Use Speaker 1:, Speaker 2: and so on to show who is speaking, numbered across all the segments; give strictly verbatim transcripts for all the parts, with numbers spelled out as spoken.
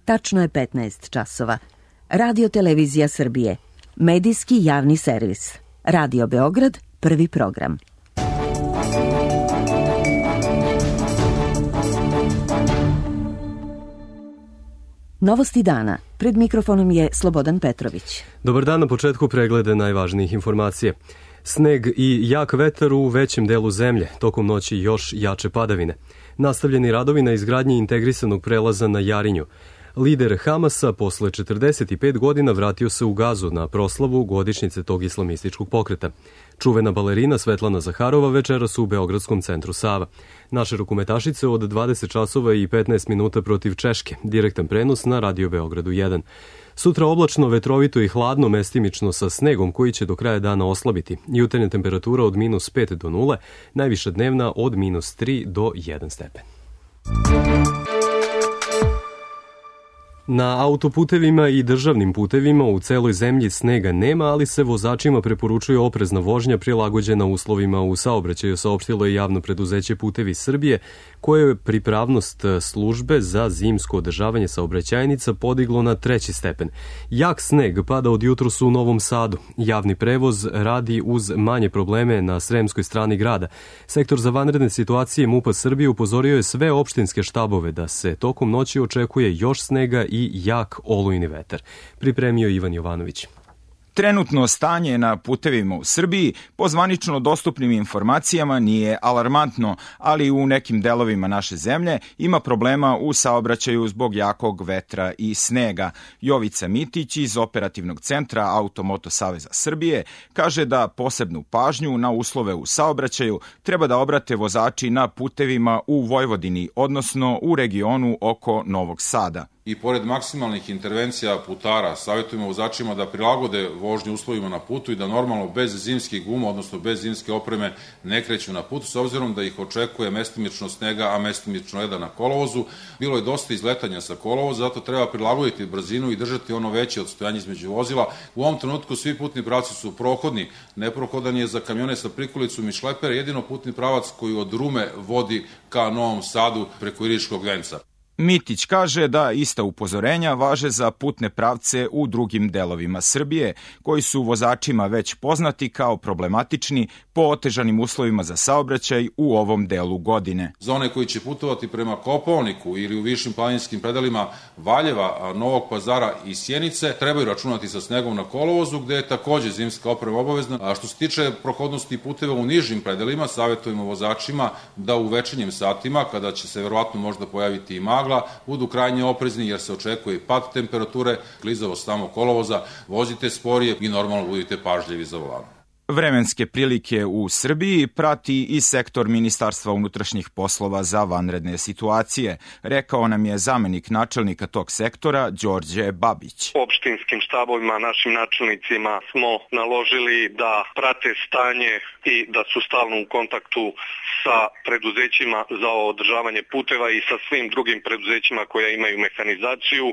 Speaker 1: Tačno je petnaest časova. Radio Televizija Srbije. Medijski javni servis. Radio Beograd, prvi program. Novosti dana. Pred mikrofonom je Slobodan Petrović.
Speaker 2: Dobar dan, na početku pregleda najvažnijih informacija. Sneg i jak vetar u većem delu zemlje, tokom noći još jače padavine. Nastavljeni radovi na izgradnji integrisanog prelaza na Jarinju. Lider Hamasa posle četrdeset pet godina vratio se u Gazu na proslavu godišnjice tog islamističkog pokreta. Čuvena balerina Svetlana Zaharova večeras u Beogradskom centru Sava. Naše rukometašice od dvadeset časova i petnaest minuta protiv Češke. Direktan prenos na Radio Beogradu jedan. Sutra oblačno, vetrovito i hladno, mestimično sa snegom koji će do kraja dana oslabiti. Jutarnja temperatura od minus pet do nule, najviša dnevna od minus tri do jedan stepen. Na autoputevima i državnim putevima u celoj zemlji snega nema, ali se vozačima preporučuje oprezna vožnja prilagođena uslovima u saobraćaju, saopštilo je javno preduzeće Putevi Srbije, koje je pripravnost službe za zimsko održavanje saobraćajnica podiglo na treći stepen. Jak sneg pada od jutros u Novom Sadu. Javni prevoz radi uz manje probleme na sremskoj strani grada. Sektor za vanredne situacije MUP-a Srbije upozorio je sve opštinske štabove da se tokom noći očekuje još snega i jak olujni vetar. Pripremio Ivan Jovanović.
Speaker 3: Trenutno stanje na putevima u Srbiji po zvanično dostupnim informacijama nije alarmantno, ali u nekim delovima naše zemlje ima problema u saobraćaju zbog jakog vetra i snega. Jovica Mitić iz Operativnog centra Automoto Saveza Srbije kaže da posebnu pažnju na uslove u saobraćaju treba da obrate vozači na putevima u Vojvodini, odnosno u regionu oko Novog Sada.
Speaker 4: I pored maksimalnih intervencija putara, savjetujemo vozačima da prilagode vožnju uslovima na putu i da normalno bez zimskih guma, odnosno bez zimske opreme, ne kreću na putu, s obzirom da ih očekuje mestimično snega, a mestimično leda na kolovozu. Bilo je dosta izletanja sa kolovoza, zato treba prilagoditi brzinu i držati ono veće odstojanje između vozila. U ovom trenutku svi putni pravci su prohodni, neprohodan je za kamione sa prikolicom i šlepere, jedino putni pravac koji od Rume vodi ka Novom Sadu preko Iriškog venca.
Speaker 3: Mitić kaže da ista upozorenja važe za putne pravce u drugim delovima Srbije, koji su vozačima već poznati kao problematični po otežanim uslovima za saobraćaj u ovom delu godine.
Speaker 4: Za one koji će putovati prema Kopaoniku ili u višim planinskim predelima Valjeva, Novog Pazara i Sjenice, trebaju računati sa snegom na kolovozu, gde je takođe zimska oprema obavezna. A što se tiče prohodnosti puteva u nižim predelima, savjetujemo vozačima da u večernjim satima, kada će se verovatno možda pojaviti i magla, budu krajnje oprezni jer se očekuje pad temperature, klizavost samog kolovoza, vozite sporije i normalno budite pažljivi za volanom.
Speaker 3: Vremenske prilike u Srbiji prati i sektor Ministarstva unutrašnjih poslova za vanredne situacije, rekao nam je zamenik načelnika tog sektora Đorđe Babić.
Speaker 5: Opštinskim štabovima, našim načelnicima smo naložili da prate stanje i da su stalno u kontaktu sa preduzećima za održavanje puteva i sa svim drugim preduzećima koja imaju mehanizaciju,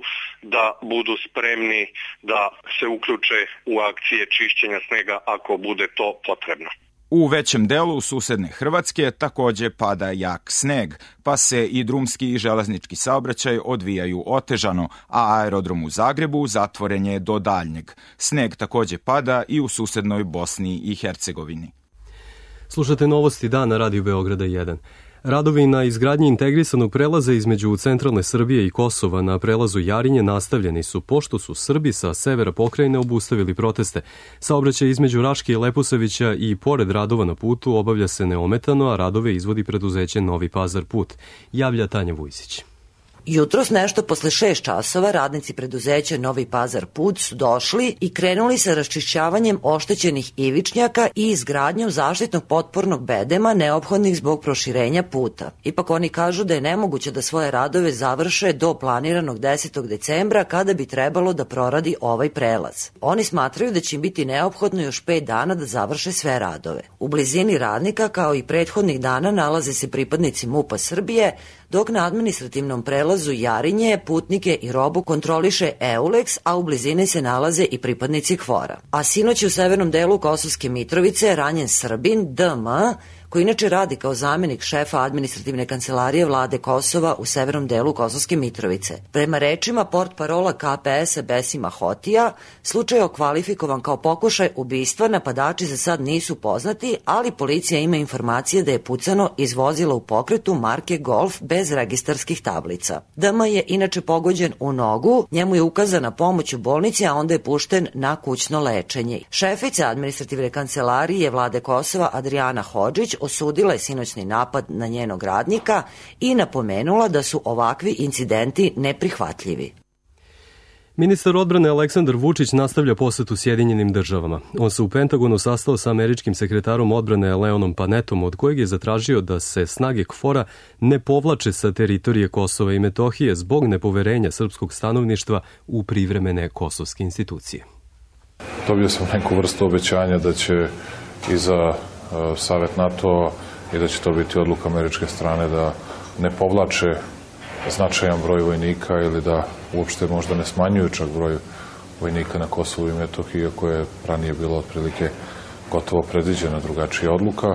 Speaker 5: da budu spremni da se uključe u akcije čišćenja snega ako bude to potrebno.
Speaker 3: U većem delu susedne Hrvatske takođe pada jak sneg, pa se i drumski i železnički saobraćaj odvijaju otežano, a aerodrom u Zagrebu zatvoren je do daljnjeg. Sneg takođe pada i u susednoj Bosni i Hercegovini.
Speaker 2: Slušate Novosti dana Radio Beograda jedan. Radovi na izgradnji integrisanog prelaza između centralne Srbije i Kosova na prelazu Jarinje nastavljeni su, pošto su Srbi sa severa pokrajine obustavili proteste. Saobraćaj između Raške i Leposavića i pored radova na putu obavlja se neometano, a radove izvodi preduzeće Novi Pazar put, javlja Tanja Vujsić.
Speaker 6: Jutros nešto posle šest časova radnici preduzeća Novi Pazar put su došli i krenuli sa raščišćavanjem oštećenih ivičnjaka i izgradnjom zaštitnog potpornog bedema neophodnih zbog proširenja puta. Ipak oni kažu da je nemoguće da svoje radove završe do planiranog desetog decembra kada bi trebalo da proradi ovaj prelaz. Oni smatraju da će im biti neophodno još pet dana da završe sve radove. U blizini radnika kao i prethodnih dana nalaze se pripadnici MUP-a Srbije, dok na administrativnom prelazu Jarinje putnike i robu kontroliše Eulex, a u blizini se nalaze i pripadnici KFOR-a. A sinoć u severnom delu Kosovske Mitrovice ranjen Srbin D M, koji inače radi kao zamjenik šefa administrativne kancelarije vlade Kosova u severnom delu Kosovske Mitrovice. Prema rečima portparola K P S-a Besima Hotija, slučaj je okvalifikovan kao pokušaj ubistva, napadači za sad nisu poznati, ali policija ima informacije da je pucano iz vozila u pokretu marke Golf bez registarskih tablica. D M je inače pogođen u nogu, njemu je ukazana pomoć u bolnici, a onda je pušten na kućno lečenje. Šefica administrativne kancelarije vlade Kosova Adriana Hodžić osudila je sinoćni napad na njenog radnika i napomenula da su ovakvi incidenti neprihvatljivi.
Speaker 2: Ministar odbrane Aleksandar Vučić nastavlja posetu Sjedinjenim državama. On se u Pentagonu sastao sa američkim sekretarom odbrane Leonom Panetom, od kojeg je zatražio da se snage K F O R-a ne povlače sa teritorije Kosova i Metohije zbog nepoverenja srpskog stanovništva u privremene kosovske institucije.
Speaker 7: Dobio sam neku vrstu obećanja da će i za uh, Savet NATO i da će to biti odluka američke strane da ne povlače značajan broj vojnika ili da uopšte možda ne smanjuju čak broj vojnika na Kosovu i Metohiji, iako je ranije bilo otprilike gotovo predviđena drugačija odluka.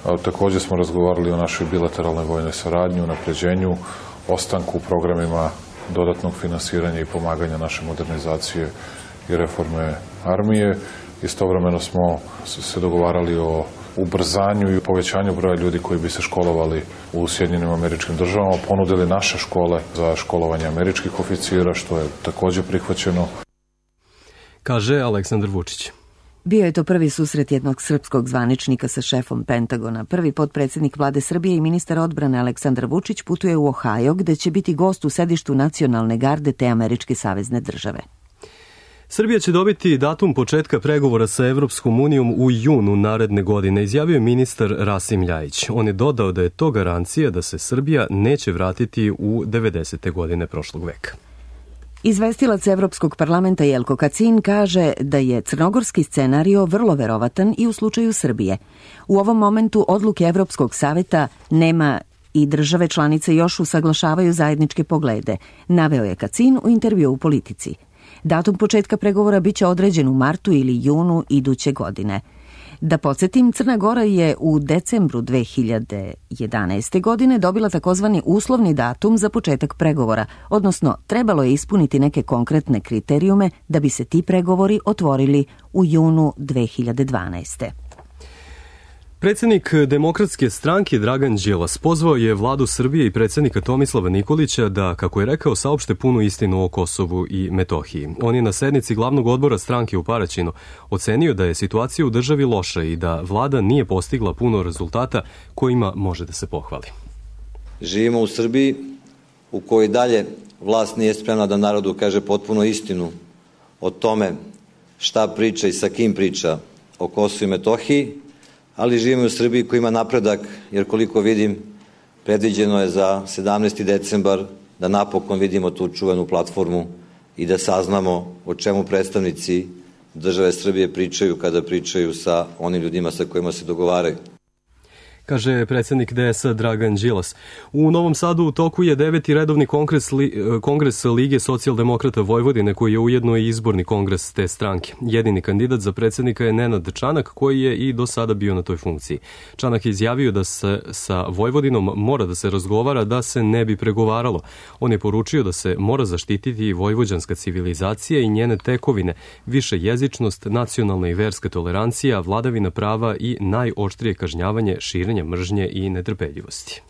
Speaker 7: A, također smo razgovarali o našoj bilateralnoj vojnoj saradnji, unapređenju, ostanku u programima dodatnog finansiranja i pomaganja naše modernizacije i reforme armije. Istovremeno smo se dogovarali o ubrzanju i povećanju broja ljudi koji bi se školovali u Sjedinjenim Američkim Državama, ponudili naše škole za školovanje američkih oficira, što je također prihvaćeno.
Speaker 2: Kaže Aleksandar Vučić.
Speaker 1: Bio je to prvi susret jednog srpskog zvaničnika sa šefom Pentagona. Prvi potpredsjednik vlade Srbije i ministar odbrane Aleksandar Vučić putuje u Ohio, gde će biti gost u sedištu nacionalne garde te američke savezne države.
Speaker 2: Srbija će dobiti datum početka pregovora sa Evropskom unijom u junu naredne godine, izjavio je ministar Rasim Ljajić. On je dodao da je to garancija da se Srbija neće vratiti u devedesete godine prošlog veka.
Speaker 1: Izvestilac Evropskog parlamenta Jelko Kacin kaže da je crnogorski scenario vrlo verovatan i u slučaju Srbije. U ovom momentu odluke Evropskog saveta nema i države članice još usaglašavaju zajedničke poglede, naveo je Kacin u intervju u Politici. Datum početka pregovora biće određen u martu ili junu iduće godine. Da podsjetim, Crna Gora je u decembru dve hiljade jedanaeste. godine dobila takozvani uslovni datum za početak pregovora, odnosno trebalo je ispuniti neke konkretne kriterijume da bi se ti pregovori otvorili u junu dve hiljade dvanaeste.
Speaker 2: Predsjednik Demokratske stranke Dragan Đilas pozvao je vladu Srbije i predsjednika Tomislava Nikolića da, kako je rekao, saopšte punu istinu o Kosovu i Metohiji. On je na sednici glavnog odbora stranke u Paraćinu ocenio da je situacija u državi loša i da vlada nije postigla puno rezultata kojima može da se pohvali.
Speaker 8: Živimo u Srbiji u kojoj dalje vlast nije spremna da narodu kaže potpuno istinu o tome šta priča i sa kim priča o Kosovu i Metohiji, ali živimo u Srbiji koja ima napredak, jer koliko vidim, predviđeno je za sedamnaesti decembar da napokon vidimo tu čuvenu platformu i da saznamo o čemu predstavnici države Srbije pričaju kada pričaju sa onim ljudima sa kojima se dogovaraju.
Speaker 2: Kaže predsjednik D S A Dragan Đilas. U Novom Sadu u toku je deveti redovni kongres, li, kongres Lige socijaldemokrata Vojvodine, koji je ujedno i izborni kongres te stranke. Jedini kandidat za predsjednika je Nenad Čanak, koji je i do sada bio na toj funkciji. Čanak je izjavio da se sa Vojvodinom mora da se razgovara, da se ne bi pregovaralo. On je poručio da se mora zaštititi vojvođanska civilizacija i njene tekovine, više jezičnost, nacionalna i verska tolerancija, vladavina prava i najoštrije kažnjavanje širenja mržnje i netrpeljivosti.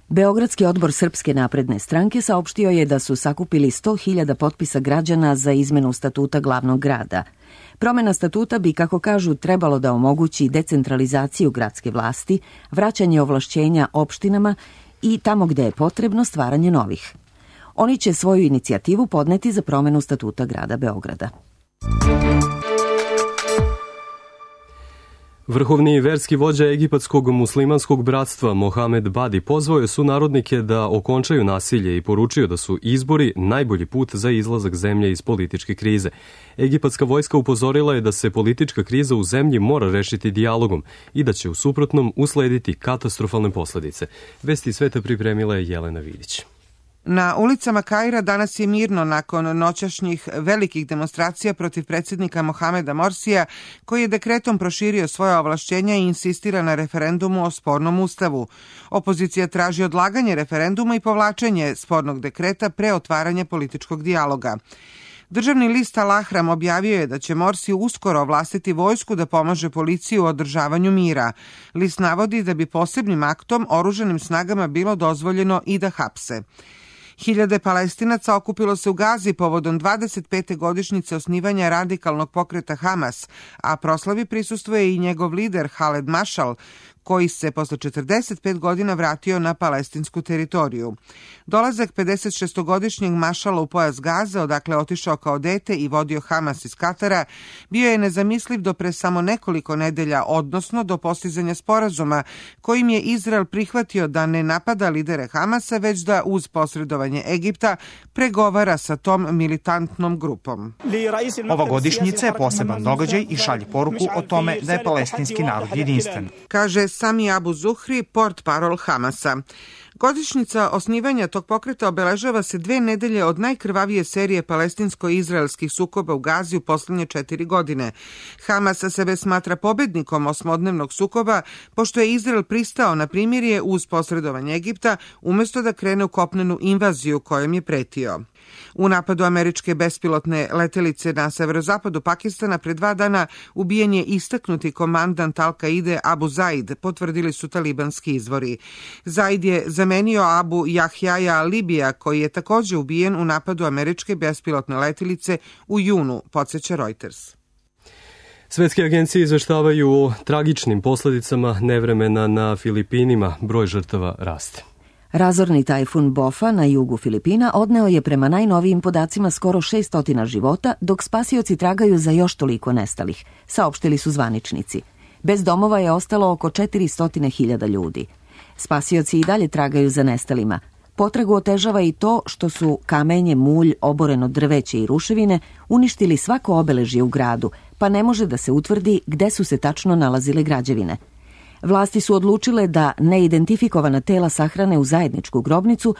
Speaker 1: Beogradski odbor Srpske napredne stranke saopštio je da su sakupili sto hiljada potpisa građana za izmenu statuta glavnog grada. Promena statuta bi, kako kažu, trebalo da omogući decentralizaciju gradske vlasti, vraćanje ovlašćenja opštinama i tamo gde je potrebno stvaranje novih. Oni će svoju inicijativu podneti za promenu statuta grada Beograda.
Speaker 2: Vrhovni verski vođa egipatskog muslimanskog bratstva Mohamed Badi pozvao je sunarodnike da okončaju nasilje i poručio da su izbori najbolji put za izlazak zemlje iz političke krize. Egipatska vojska upozorila je da se politička kriza u zemlji mora rešiti dijalogom i da će u suprotnom uslediti katastrofalne posledice. Vesti sveta pripremila je Jelena Vidić.
Speaker 9: Na ulicama Kaira danas je mirno nakon noćašnjih velikih demonstracija protiv predsjednika Mohameda Morsija, koji je dekretom proširio svoja ovlašćenja i insistira na referendumu o spornom ustavu. Opozicija traži odlaganje referenduma i povlačenje spornog dekreta pre otvaranja političkog dijaloga. Državni list Al Ahram objavio je da će Morsi uskoro ovlastiti vojsku da pomaže policiji u održavanju mira. List navodi da bi posebnim aktom oružanim snagama bilo dozvoljeno i da hapse. Hiljade Palestinaca okupilo se u Gazi povodom dvadeset pete godišnjice osnivanja radikalnog pokreta Hamas, a proslavi prisustvuje i njegov lider Haled Mašal, koji se posle četrdeset pet godina vratio na palestinsku teritoriju. Dolazak pedesetšestogodišnjeg Mašala u pojas Gaze, odakle otišao kao dete i vodio Hamas iz Katara, bio je nezamisliv do pre samo nekoliko nedelja, odnosno do postizanja sporazuma kojim je Izrael prihvatio da ne napada lidere Hamasa, već da uz posredovanje Egipta pregovara sa tom militantnom grupom.
Speaker 10: Ova godišnjica je poseban događaj i šalje poruku o tome da je palestinski narod jedinstven,
Speaker 9: kaže Sami Abu Zuhri, portparol Hamasa. Godišnjica osnivanja tog pokreta obeležava se dve nedelje od najkrvavije serije palestinsko-izraelskih sukoba u Gazi u poslednje četiri godine. Hamas sebe smatra pobednikom osmodnevnog sukoba, pošto je Izrael pristao na primirje uz posredovanje Egipta, umesto da krene u kopnenu invaziju kojom je pretio. U napadu američke bespilotne letelice na severozapadu Pakistana pre dva dana ubijen je istaknuti komandant Al-Kaide Abu Zaid, potvrdili su talibanski izvori. Zaid je zamenio Abu Jahjaja Libija, koji je takođe ubijen u napadu američke bespilotne letelice u junu, podsjeća Reuters.
Speaker 2: Svetske agencije izveštavaju o tragičnim posledicama nevremena na Filipinima. Broj žrtava raste.
Speaker 1: Razorni tajfun Bofa na jugu Filipina odneo je prema najnovijim podacima skoro šesto života, dok spasioci tragaju za još toliko nestalih, saopštili su zvaničnici. Bez domova je ostalo oko četiristo hiljada ljudi. Spasioci i dalje tragaju za nestalima. Potragu otežava i to što su kamenje, mulj, oboreno drveće i ruševine uništili svako obeležje u gradu, pa ne može da se utvrdi gde su se tačno nalazile građevine. Vlasti su odlučile da neidentifikovana tela sahrane u zajedničku grobnicu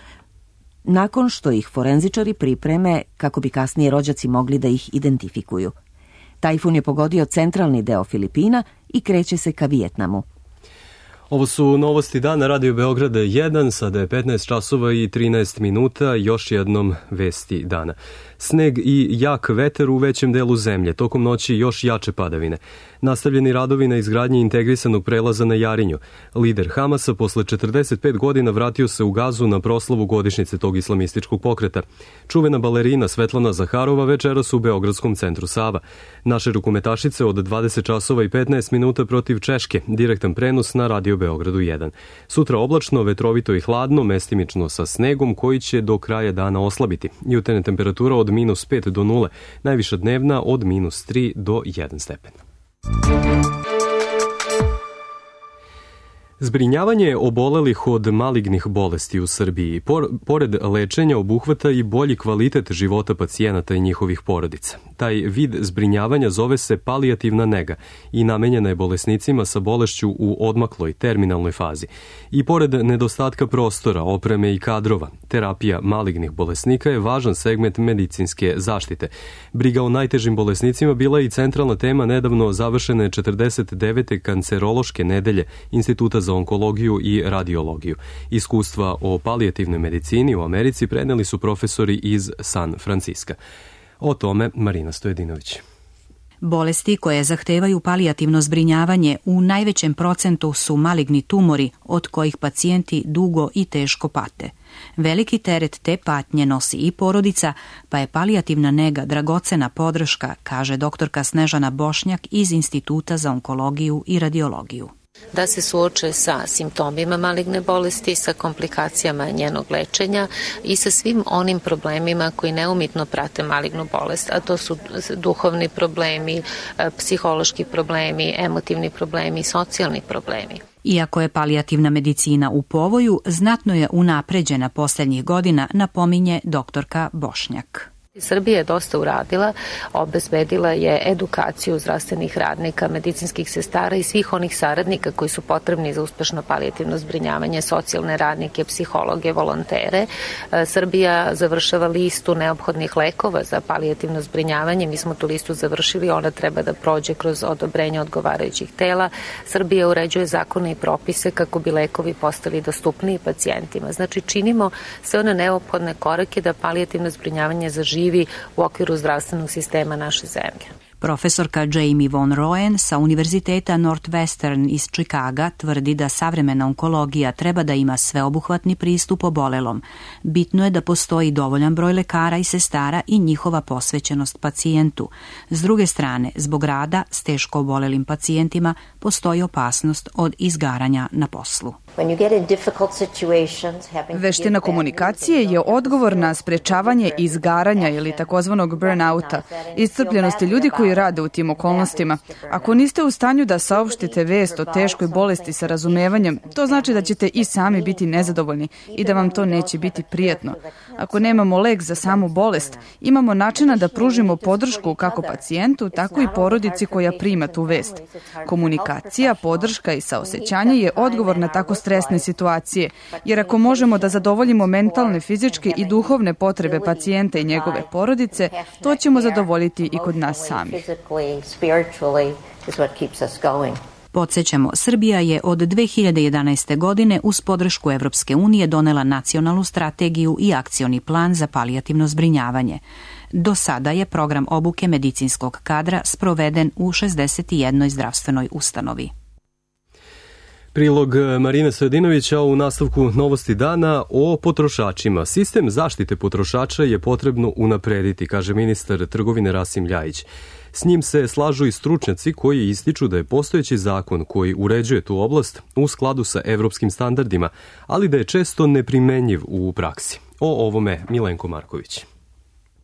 Speaker 1: nakon što ih forenzičari pripreme kako bi kasnije rođaci mogli da ih identifikuju. Tajfun je pogodio centralni deo Filipina i kreće se ka Vijetnamu.
Speaker 2: Ovo su novosti dana Radio Beograda jedan, sada je petnaest časova i trinaest minuta, još jednom vesti dana. Sneg i jak vetar u većem delu zemlje, tokom noći još jače padavine. Nastavljeni radovi na izgradnji integrisanog prelaza na Jarinju. Lider Hamasa posle četrdeset pet godina vratio se u Gazu na proslavu godišnjice tog islamističkog pokreta. Čuvena balerina Svetlana Zaharova večeras u Beogradskom centru Sava. Naše rukometašice od dvadeset časova i petnaest minuta protiv Češke, direktan prenos na Radio Beogradu jedan. Sutra oblačno, vetrovito i hladno, mestimično sa snegom koji će do kraja dana oslabiti. Jutarnja temperatura od minus pet do nule, najviša dnevna od minus tri do jedan stepen. Zbrinjavanje obolelih od malignih bolesti u Srbiji, pored lečenja, obuhvata i bolji kvalitet života pacijenata i njihovih porodica. Taj vid zbrinjavanja zove se palijativna nega i namenjena je bolesnicima sa bolešću u odmakloj terminalnoj fazi. I pored nedostatka prostora, opreme i kadrova, terapija malignih bolesnika je važan segment medicinske zaštite. Briga o najtežim bolesnicima bila je i centralna tema nedavno završene četrdeset devete kancerološke nedelje Instituta za onkologiju i radiologiju. Iskustva o palijativnoj medicini u Americi preneli su profesori iz San Franciska. O tome Marina Stojedinović.
Speaker 11: Bolesti koje zahtevaju palijativno zbrinjavanje u najvećem procentu su maligni tumori od kojih pacijenti dugo i teško pate. Veliki teret te patnje nosi i porodica, pa je palijativna nega dragocena podrška, kaže doktorka Snežana Bošnjak iz Instituta za onkologiju i radiologiju.
Speaker 12: Da se suoče sa simptomima maligne bolesti, sa komplikacijama njenog lečenja i sa svim onim problemima koji neumitno prate malignu bolest, a to su duhovni problemi, psihološki problemi, emotivni problemi, socijalni problemi.
Speaker 11: Iako je palijativna medicina u povoju, znatno je unapređena poslednjih godina, napominje doktorka Bošnjak.
Speaker 12: Srbija je dosta uradila, obezbedila je edukaciju zdravstvenih radnika, medicinskih sestara i svih onih saradnika koji su potrebni za uspešno palijativno zbrinjavanje, socijalne radnike, psihologe, volontere. Srbija završava listu neophodnih lekova za palijativno zbrinjavanje. Mi smo tu listu završili, ona treba da prođe kroz odobrenje odgovarajućih tela. Srbija uređuje zakone i propise kako bi lekovi postali dostupniji pacijentima. Znači, činimo sve one neophodne korake da palijativno zbrinjavanje zaživi u okviru zdravstvenog sistema naše zemlje.
Speaker 11: Profesorka Jamie von Roen sa Univerziteta Northwestern iz Čikaga tvrdi da savremena onkologija treba da ima sveobuhvatni pristup obolelom. Bitno je da postoji dovoljan broj lekara i sestara i njihova posvećenost pacijentu. S druge strane, zbog rada s teško obolelim pacijentima postoji opasnost od izgaranja na poslu.
Speaker 13: Veština komunikacije je odgovor na sprečavanje izgaranja ili takozvanog burnouta, iscrpljenosti ljudi koji rade u tim okolnostima. Ako niste u stanju da saopštite vest o teškoj bolesti sa razumevanjem, to znači da ćete i sami biti nezadovoljni i da vam to neće biti prijatno. Ako nemamo lek za samu bolest, imamo načina da pružimo podršku kako pacijentu, tako i porodici koja prima tu vest. Komunikacija, podrška i saosećanje je odgovor na tako stresne situacije, jer ako možemo da zadovoljimo mentalne, fizičke i duhovne potrebe pacijenta i njegove porodice, to ćemo zadovoljiti i kod nas sami.
Speaker 11: Podsjećamo, Srbija je od dve hiljade jedanaeste. godine uz podršku Evropske unije donela nacionalnu strategiju i akcioni plan za palijativno zbrinjavanje. Do sada je program obuke medicinskog kadra sproveden u šezdeset jednoj zdravstvenoj ustanovi.
Speaker 2: Prilog Marine Stojadinovića u nastavku Novosti dana o potrošačima. Sistem zaštite potrošača je potrebno unaprediti, kaže ministar trgovine Rasim Ljajić. S njim se slažu i stručnjaci koji ističu da je postojeći zakon koji uređuje tu oblast u skladu sa evropskim standardima, ali da je često neprimenjiv u praksi. O ovome Milenko Marković.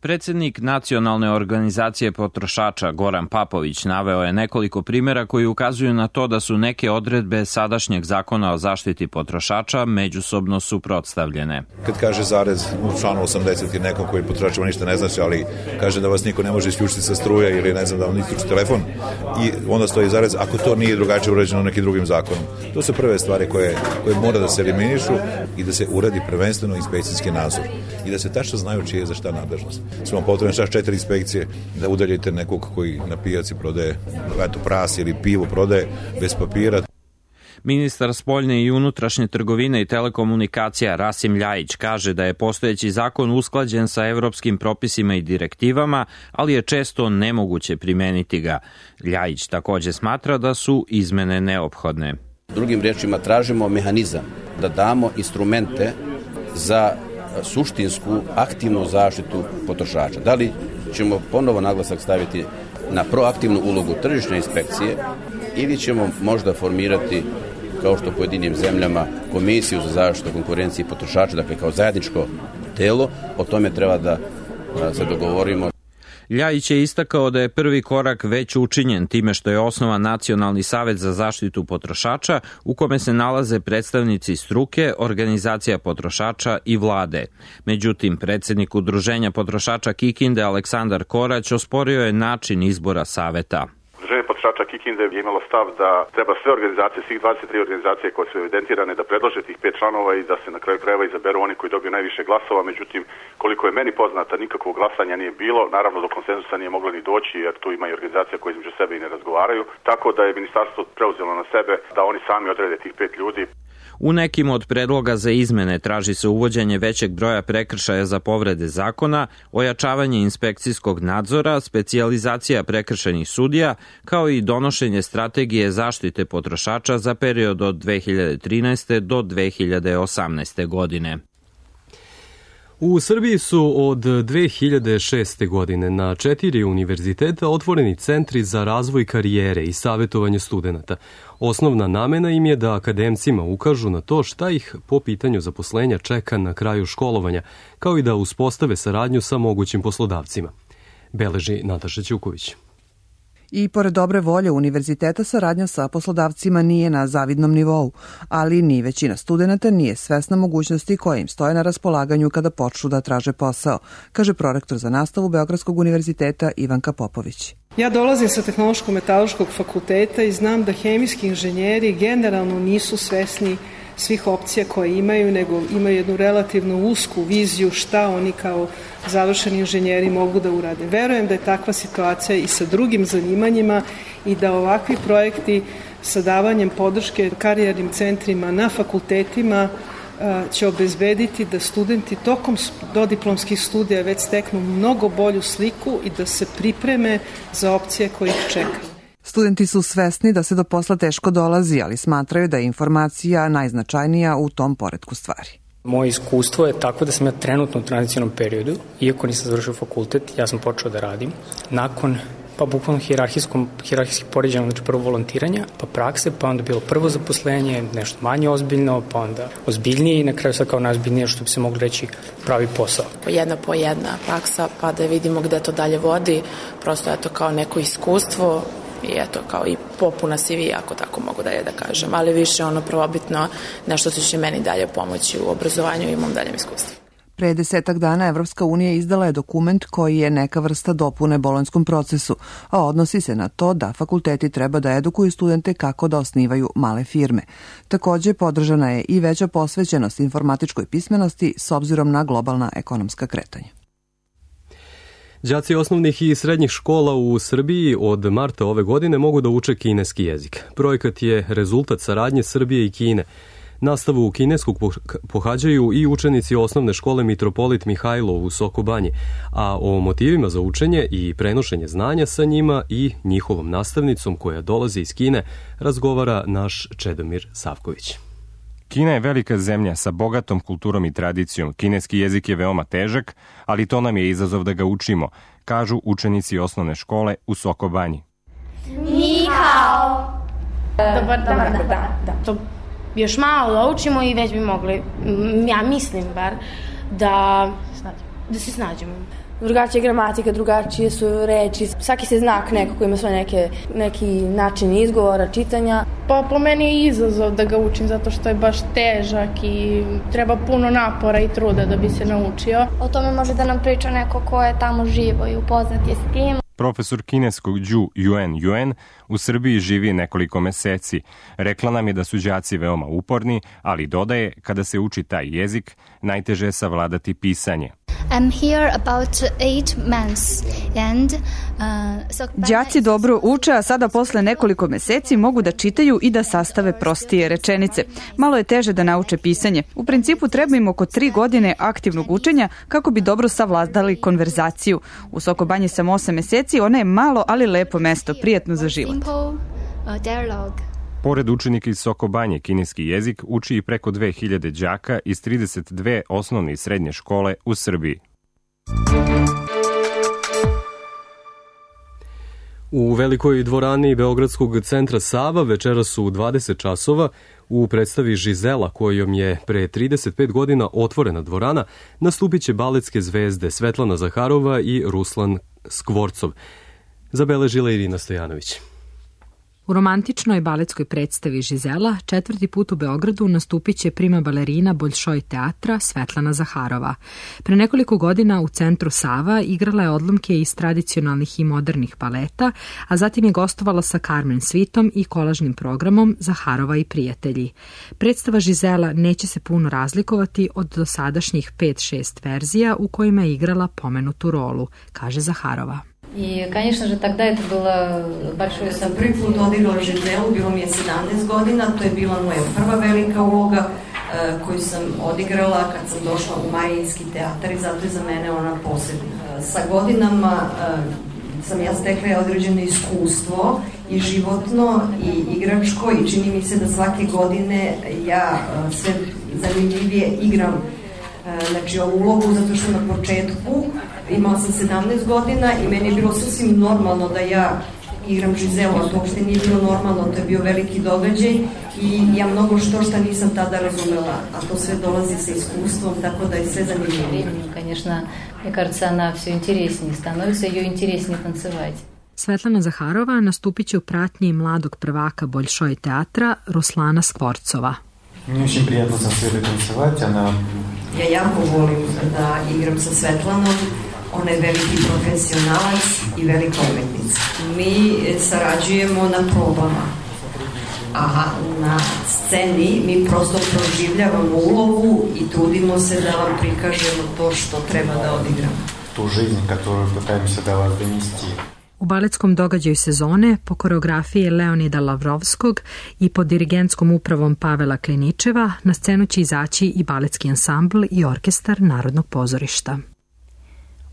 Speaker 14: Predsednik Nacionalne organizacije potrošača Goran Papović naveo je nekoliko primjera koji ukazuju na to da su neke odredbe sadašnjeg zakona o zaštiti potrošača međusobno suprotstavljene.
Speaker 15: Kad kaže zarez u članu osamdeset i nekom koji potrošačima ništa ne znači, ali kaže da vas niko ne može isključiti sa struje ili ne znam da vam isključi telefon i onda stoji zarez ako to nije drugačije uređeno nekim drugim zakonom. To su prve stvari koje, koje mora da se eliminišu i da se uradi prvenstveno inspekcijski nadzor i da se tačno znaju čije je za šta nadležnost. Smo potrebne čak četiri inspekcije da udaljite nekog koji na pijaci prodaje eto, pras ili pivo prodaje bez papira.
Speaker 14: Ministar spoljne i unutrašnje trgovine i telekomunikacija Rasim Ljajić kaže da je postojeći zakon usklađen sa evropskim propisima i direktivama, ali je često nemoguće primeniti ga. Ljajić takođe smatra da su izmene neophodne.
Speaker 16: Drugim riječima tražimo mehanizam da damo instrumente za suštinsku, aktivnu zaštitu potrošača. Da li ćemo ponovo naglasak staviti na proaktivnu ulogu tržišne inspekcije ili ćemo možda formirati, kao što u pojedinim zemljama, komisiju za zaštitu konkurencije i potrošača, dakle kao zajedničko telo, o tome treba da se dogovorimo.
Speaker 14: Ljajić je istakao da je prvi korak već učinjen time što je osnovan Nacionalni savet za zaštitu potrošača u kome se nalaze predstavnici struke, organizacija potrošača i vlade. Međutim, predsednik Udruženja potrošača Kikinde Aleksandar Korać osporio je način izbora saveta.
Speaker 17: Udruženje potrošača Kikinde je imalo stav da treba sve organizacije, svih dvadeset tri organizacije koje su evidentirane da predlože tih pet članova i da se na kraju krajeva izaberu oni koji dobiju najviše glasova. Međutim, koliko je meni poznata, nikakvog glasanja nije bilo. Naravno, do konsenzusa nije moglo ni doći jer tu ima i organizacija koje između sebe i ne razgovaraju. Tako da je ministarstvo preuzelo na sebe da oni sami odrede tih pet ljudi.
Speaker 14: U nekim od predloga za izmene traži se uvođenje većeg broja prekršaja za povrede zakona, ojačavanje inspekcijskog nadzora, specijalizacija prekršajnih sudija, kao i donošenje strategije zaštite potrošača za period od dve hiljade trinaeste. do dve hiljade osamnaeste. godine.
Speaker 2: U Srbiji su od dve hiljade šeste. godine na četiri univerziteta otvoreni centri za razvoj karijere i savjetovanje studenata. Osnovna namena im je da akademcima ukažu na to šta ih po pitanju zaposlenja čeka na kraju školovanja, kao i da uspostave saradnju sa mogućim poslodavcima. Beleži Nataša Ćuković.
Speaker 9: I pored dobre volje univerziteta, saradnja sa poslodavcima nije na zavidnom nivou, ali ni većina studenta nije svesna mogućnosti koje im stoje na raspolaganju kada počnu da traže posao, kaže prorektor za nastavu Beogradskog univerziteta Ivanka Popović.
Speaker 18: Ja dolazim sa Tehnološko-metaloškog fakulteta i znam da hemijski inženjeri generalno nisu svesni svih opcija koje imaju, nego imaju jednu relativno usku viziju šta oni kao završeni inženjeri mogu da urade. Verujem da je takva situacija i sa drugim zanimanjima i da ovakvi projekti sa davanjem podrške karijernim centrima na fakultetima će obezbediti da studenti tokom dodiplomskih studija već steknu mnogo bolju sliku i da se pripreme za opcije koje ih čekaju.
Speaker 9: Studenti su svesni da se do posla teško dolazi, ali smatraju da je informacija najznačajnija u tom poretku stvari.
Speaker 19: Moje iskustvo je tako da sam ja trenutno u tranzicionom periodu, iako nisam završio fakultet, ja sam počeo da radim. Nakon, pa bukvalno hijerarhijskih poređenja, znači prvo volontiranja, pa prakse, pa onda bilo prvo zaposlenje, nešto manje ozbiljno, pa onda ozbiljnije i na kraju sad kao najozbiljnije, što bi se mogli reći, pravi posao.
Speaker 20: Jedna po jedna praksa, pa da vidimo gde to dalje vodi, prosto je to kao neko iskustvo, i eto, kao i popuna C V, ako tako mogu dalje da kažem, ali više ono prvobitno nešto što će meni dalje pomoći u obrazovanju i mom daljem iskustvu.
Speaker 9: Pre desetak dana Evropska unija izdala je dokument koji je neka vrsta dopune bolonjskom procesu, a odnosi se na to da fakulteti treba da edukuju studente kako da osnivaju male firme. Takođe, podržana je i veća posvećenost informatičkoj pismenosti s obzirom na globalna ekonomska kretanja.
Speaker 2: Đaci osnovnih i srednjih škola u Srbiji od marta ove godine mogu da uče kineski jezik. Projekat je rezultat saradnje Srbije i Kine. Nastavu kineskog pohađaju i učenici osnovne škole Mitropolit Mihajlo u Sokobanji, a o motivima za učenje i prenošenje znanja sa njima i njihovom nastavnicom koja dolazi iz Kine razgovara naš Čedomir Savković.
Speaker 21: Kina je velika zemlja sa bogatom kulturom i tradicijom. Kineski jezik je veoma težak, ali to nam je izazov da ga učimo, kažu učenici osnovne škole u Sokobanji.
Speaker 22: Ni hao. Dobar dan. Dobar dan. Da. To još malo da učimo i već bi mogli, ja mislim bar, da, da se snađemo.
Speaker 23: Drugačija gramatika, drugačije su reči, svaki se znak nekako ima svoj neke, neki način izgovora, čitanja.
Speaker 22: Pa po meni je izazov da ga učim zato što je baš težak i treba puno napora i truda da bi se naučio.
Speaker 23: O tome može da nam priča neko ko je tamo živo i upoznat je s tim.
Speaker 21: Profesor kineskog Ju Yuen Yuen u Srbiji živi nekoliko meseci. Rekla nam je da su đaci veoma uporni, ali dodaje, kada se uči taj jezik, najteže je savladati pisanje.
Speaker 23: I'm here about eight months and uh, so
Speaker 13: Đaci dobro uče, a sada posle nekoliko meseci mogu da čitaju i da sastave prostije rečenice. Malo je teže da nauče pisanje. U principu treba im oko tri godine aktivnog učenja kako bi dobro savladali konverzaciju. U Sokobanji sam osam meseci, ona je malo, ali lepo mesto, prijatno za život.
Speaker 21: Pored učenika iz Sokobanje, kineski jezik uči i preko dve hiljade đaka iz trideset dve osnovne i srednje škole u Srbiji.
Speaker 2: U velikoj dvorani Beogradskog centra Sava večeras su u dvadeset časova u predstavi Žizela, kojom je pre trideset pet godina otvorena dvorana, nastupit će baletske zvezde Svetlana Zaharova i Ruslan Skvorcov. Zabeležila Irina Stojanović.
Speaker 11: U romantičnoj baletskoj predstavi Žizela četvrti put u Beogradu nastupit će prima balerina Boljšoj teatra Svetlana Zaharova. Pre nekoliko godina u centru Sava igrala je odlomke iz tradicionalnih i modernih baleta, a zatim je gostovala sa Carmen Svitom i kolažnim programom Zaharova i prijatelji. Predstava Žizela neće se puno razlikovati od dosadašnjih pet šest verzija u kojima je igrala pomenutu rolu, kaže Zaharova.
Speaker 24: I, конечно же, тогда это было большое...
Speaker 25: Sam prvi put odigrala Žizelu, bilo mi je sedamnaest godina, to je bila moja prva velika uloga koju sam odigrala kad sam došla u Marijinski teatar i zato je za mene ona posebna. Sa godinama sam ja stekla određeno iskustvo i životno i igračko i čini mi se da svake godine ja sve zanimljivije igram znači ovu ulogu zato što na početku imala sam sedamnaest godina i meni je bilo sasvim normalno da ja igram Žizelu, a to uopšte nije bilo normalno, to je bio veliki događaj i ja mnogo što šta nisam tada razumela, a to sve dolazi sa iskustvom, tako da je sve zanimljivo.
Speaker 24: Конечно, мне кажется, она все интереснее становится, ее интереснее танцевать.
Speaker 3: Svetlana Zaharova nastupit će u pratnji mladog prvaka Boljšoj teatra Ruslana Skvorcova.
Speaker 4: Мне очень приятно со Светой танцевать, она...
Speaker 25: Ja jako volim da igram sa Svetlanom, ona je veliki profesionalac i velika umetnica. Mi sarađujemo na probama, a na sceni mi prosto proživljavamo ulogu i trudimo se da vam prikažemo to što treba da odigramo.
Speaker 4: Ту жизнь, которую пытаемся до вас донести.
Speaker 3: U baletskom događaju sezone po koreografiji Leonida Lavrovskog i pod dirigentskom upravom Pavela Kliničeva na scenu će izaći i baletski ansambl i orkestar Narodnog pozorišta.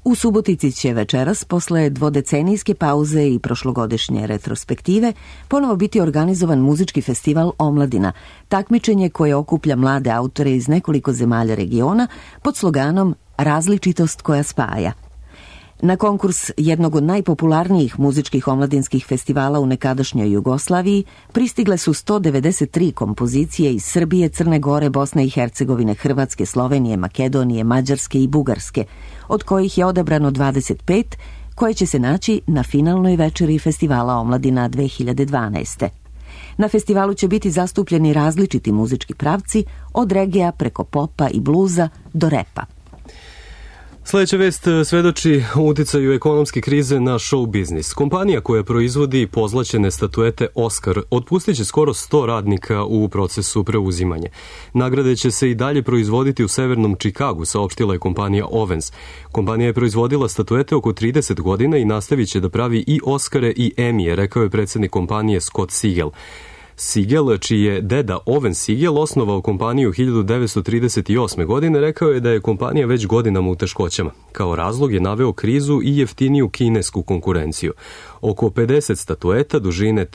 Speaker 1: U Subotici će večeras, posle dvodecenijske pauze i prošlogodišnje retrospektive, ponovo biti organizovan muzički festival Omladina, takmičenje koje okuplja mlade autore iz nekoliko zemalja regiona pod sloganom Različitost koja spaja. Na konkurs jednog od najpopularnijih muzičkih omladinskih festivala u nekadašnjoj Jugoslaviji pristigle su sto devedeset tri kompozicije iz Srbije, Crne Gore, Bosne i Hercegovine, Hrvatske, Slovenije, Makedonije, Mađarske i Bugarske, od kojih je odabrano dvadeset pet, koje će se naći na finalnoj večeri Festivala Omladina dve hiljade dvanaeste. Na festivalu će biti zastupljeni različiti muzički pravci, od regija preko popa i bluza do repa.
Speaker 2: Sljedeća vest svedoči o uticaju ekonomske krize na show biznis. Kompanija koja proizvodi pozlaćene statuete Oscar otpustit će skoro sto radnika u procesu preuzimanja. Nagrade će se i dalje proizvoditi u severnom Čikagu, saopštila je kompanija Owens. Kompanija je proizvodila statuete oko trideset godina i nastavit će da pravi i Oscare i Emije, rekao je predsjednik kompanije Scott Siegel. Siegel, čiji je deda Owen Siegel osnovao kompaniju hiljadu devetsto trideset osme. godine, rekao je da je kompanija već godinama u teškoćama. Kao razlog je naveo krizu i jeftiniju kinesku konkurenciju. Oko pedeset statueta dužine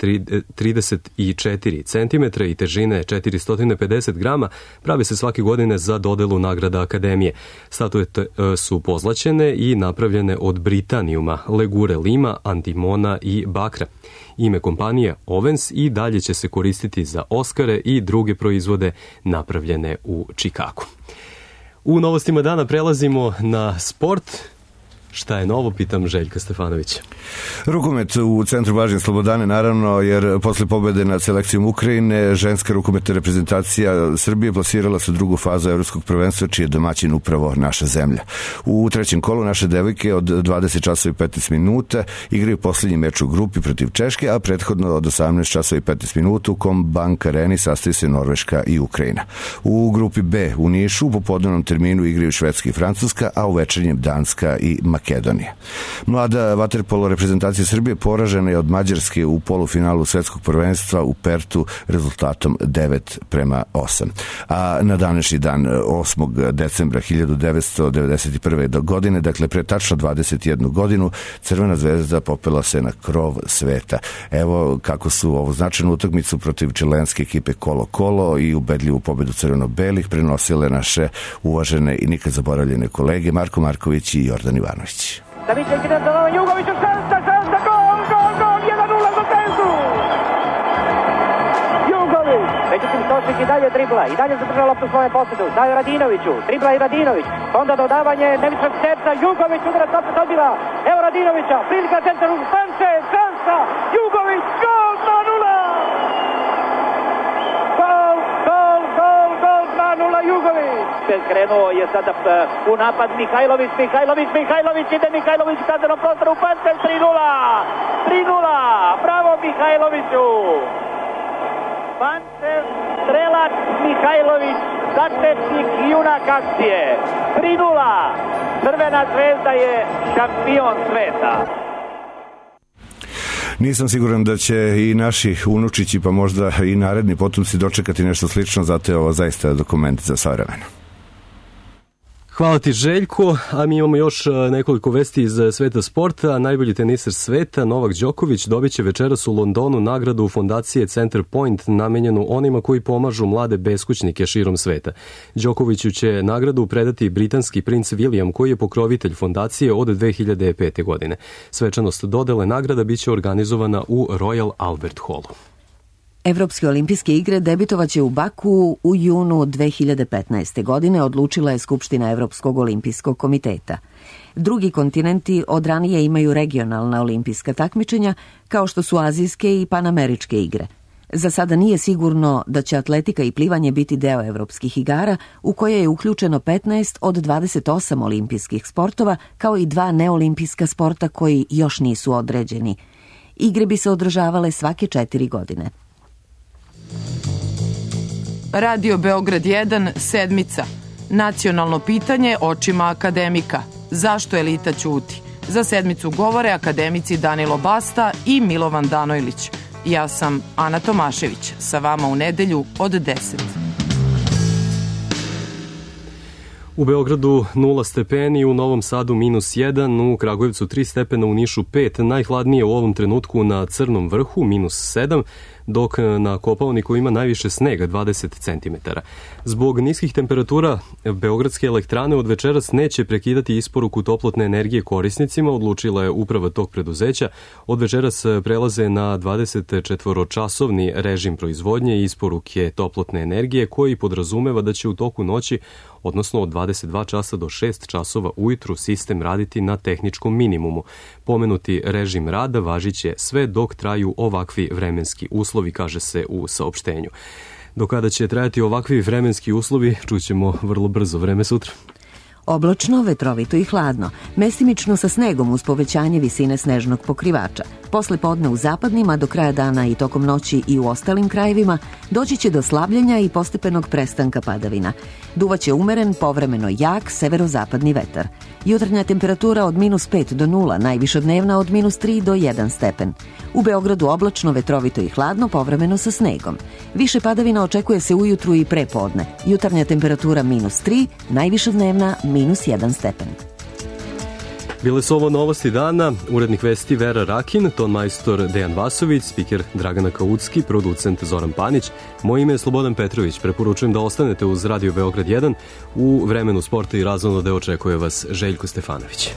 Speaker 2: trideset četiri centimetra i težine četiristo pedeset grama pravi se svake godine za dodelu nagrada Akademije. Statuete su pozlaćene i napravljene od britanijuma, legure lima, antimona i bakra. Ime kompanije Owens i dalje će se koristiti za Oscare i druge proizvode napravljene u Čikagu. U novostima dana prelazimo na sport. Šta je novo, pitam Željka Stefanovića.
Speaker 5: Rukomet u centru Blažen Slobodane, naravno, jer posle pobede nad selekcijom Ukrajine, ženska rukometna reprezentacija Srbije plasirala se u drugu fazu evropskog prvenstva, čiji je domaćin upravo naša zemlja. U trećem kolu naše devojke od dvadeset časova i petnaest minuta igraju posljednji meč u grupi protiv Češke, a prethodno od osamnaest časova i petnaest minuta u Combank Areni sastaju se Norveška i Ukrajina. U grupi B u Nišu u popodnevnom terminu igraju Švedska i Francuska, a u večernjem Danska i Makedonija. Makedonije. Mlada vaterpolo reprezentacija Srbije poražena je od Mađarske u polufinalu svetskog prvenstva u Pertu rezultatom devet prema osam. A na današnji dan osmog decembra hiljadu devetsto devedeset prve. godine, dakle pre tačno dvadeset jednu godinu, Crvena zvezda popela se na krov sveta. Evo kako su ovu značajnu utakmicu protiv čilenske ekipe Colo-Colo i ubedljivu pobedu crveno-belih prenosile naše uvažene i nikad zaboravljene kolege Marko Marković i Jordan Ivanović.
Speaker 6: Davićević ide za Jugoviću, šansa, šansa, gol, gol, gol, jedan nula za Zvezdu! Jugović, međutim Stošić i dalje dribla, i dalje zadržava loptu svoje posjedu, daje Radinoviću, dribla i Radinović, onda dodavanje Nevićnog terca, Jugović udara opet odbila, evo Radinovića, prilika centar u Stanče, šansa, Jugović, gol, dva nula! Gol, gol, gol, gol, dva nula Jugović! Krenuo je sada u napad Mihajlović, Mihajlović, Mihajlović, ide Mihajlović u kaznenom prostoru, Pančev tri nula, tri nula, bravo Mihajloviću! Pančev, strelac Mihajlović, začetnik junak akcije, tri nula, Crvena zvezda je šampion sveta.
Speaker 5: Nisam siguran da će i naši unučići, pa možda i naredni potomci dočekati nešto slično, zato je ovo zaista dokument za sve vremena.
Speaker 2: Hvala ti Željko, a mi imamo još nekoliko vesti iz sveta sporta. Najbolji teniser sveta, Novak Đoković, dobit će večeras u Londonu nagradu fondacije Center Point namenjenu onima koji pomažu mlade beskućnike širom sveta. Đokoviću će nagradu predati britanski princ William, koji je pokrovitelj fondacije od dve hiljade pete. godine. Svečanost dodele nagrada biće organizovana u Royal Albert Hallu.
Speaker 1: Evropske olimpijske igre debitovaće u Baku u junu dve hiljade petnaeste. godine, odlučila je Skupština Evropskog olimpijskog komiteta. Drugi kontinenti od ranije imaju regionalna olimpijska takmičenja, kao što su azijske i panameričke igre. Za sada nije sigurno da će atletika i plivanje biti deo evropskih igara, u koje je uključeno petnaest od dvadeset osam olimpijskih sportova, kao i dva neolimpijska sporta koji još nisu određeni. Igre bi se održavale svake četiri godine.
Speaker 7: Radio Beograd jedan, sedmica. Nacionalno pitanje očima akademika. Zašto elita ćuti? Za sedmicu govore akademici Danilo Basta i Milovan Danojlić. Ja sam Ana Tomašević, sa vama u nedelju od deset.
Speaker 2: U Beogradu nula stepeni, u Novom Sadu minus jedan, u Kragujevcu tri stepena, u Nišu pet, najhladnije u ovom trenutku na Crnom vrhu minus sedam, dok na Kopaoniku ima najviše snega dvadeset centimetara. Zbog niskih temperatura beogradske elektrane od večeras neće prekidati isporuku toplotne energije korisnicima, odlučila je uprava tog preduzeća. Od večeras prelaze na dvadesetčetvoročasovni režim proizvodnje i isporuke toplotne energije, koji podrazumeva da će u toku noći, odnosno od dvadeset dva časa do šest časova ujutru, sistem raditi na tehničkom minimumu. Pomenuti režim rada važiće sve dok traju ovakvi vremenski uslovi, kaže se u saopštenju. Do kada će trajati ovakvi vremenski uslovi, čućemo vrlo brzo. Vreme sutra.
Speaker 1: Oblačno, vetrovito i hladno, mestimično sa snegom uz povećanje visine snežnog pokrivača. Posle podne u zapadnim, a do kraja dana i tokom noći i u ostalim krajevima, doći će do slabljenja i postepenog prestanka padavina. Duvaće umeren, povremeno jak, severozapadni vetar. Jutarnja temperatura od minus pet do nula, najviša dnevna od minus tri do jedan stepen. U Beogradu oblačno, vetrovito i hladno, povremeno sa snegom. Više padavina očekuje se ujutru i pre podne. Jutarnja temperatura minus tri, najviša dnevna minus jedan stepen.
Speaker 2: Bile su ovo novosti dana, urednik vesti Vera Rakin, ton majstor Dejan Vasović, spiker Dragana Kaucki, producent Zoran Panić. Moje ime je Slobodan Petrović. Preporučujem da ostanete uz Radio Beograd jedan. U vremenu sporta i razonode očekuje vas Željko Stefanović.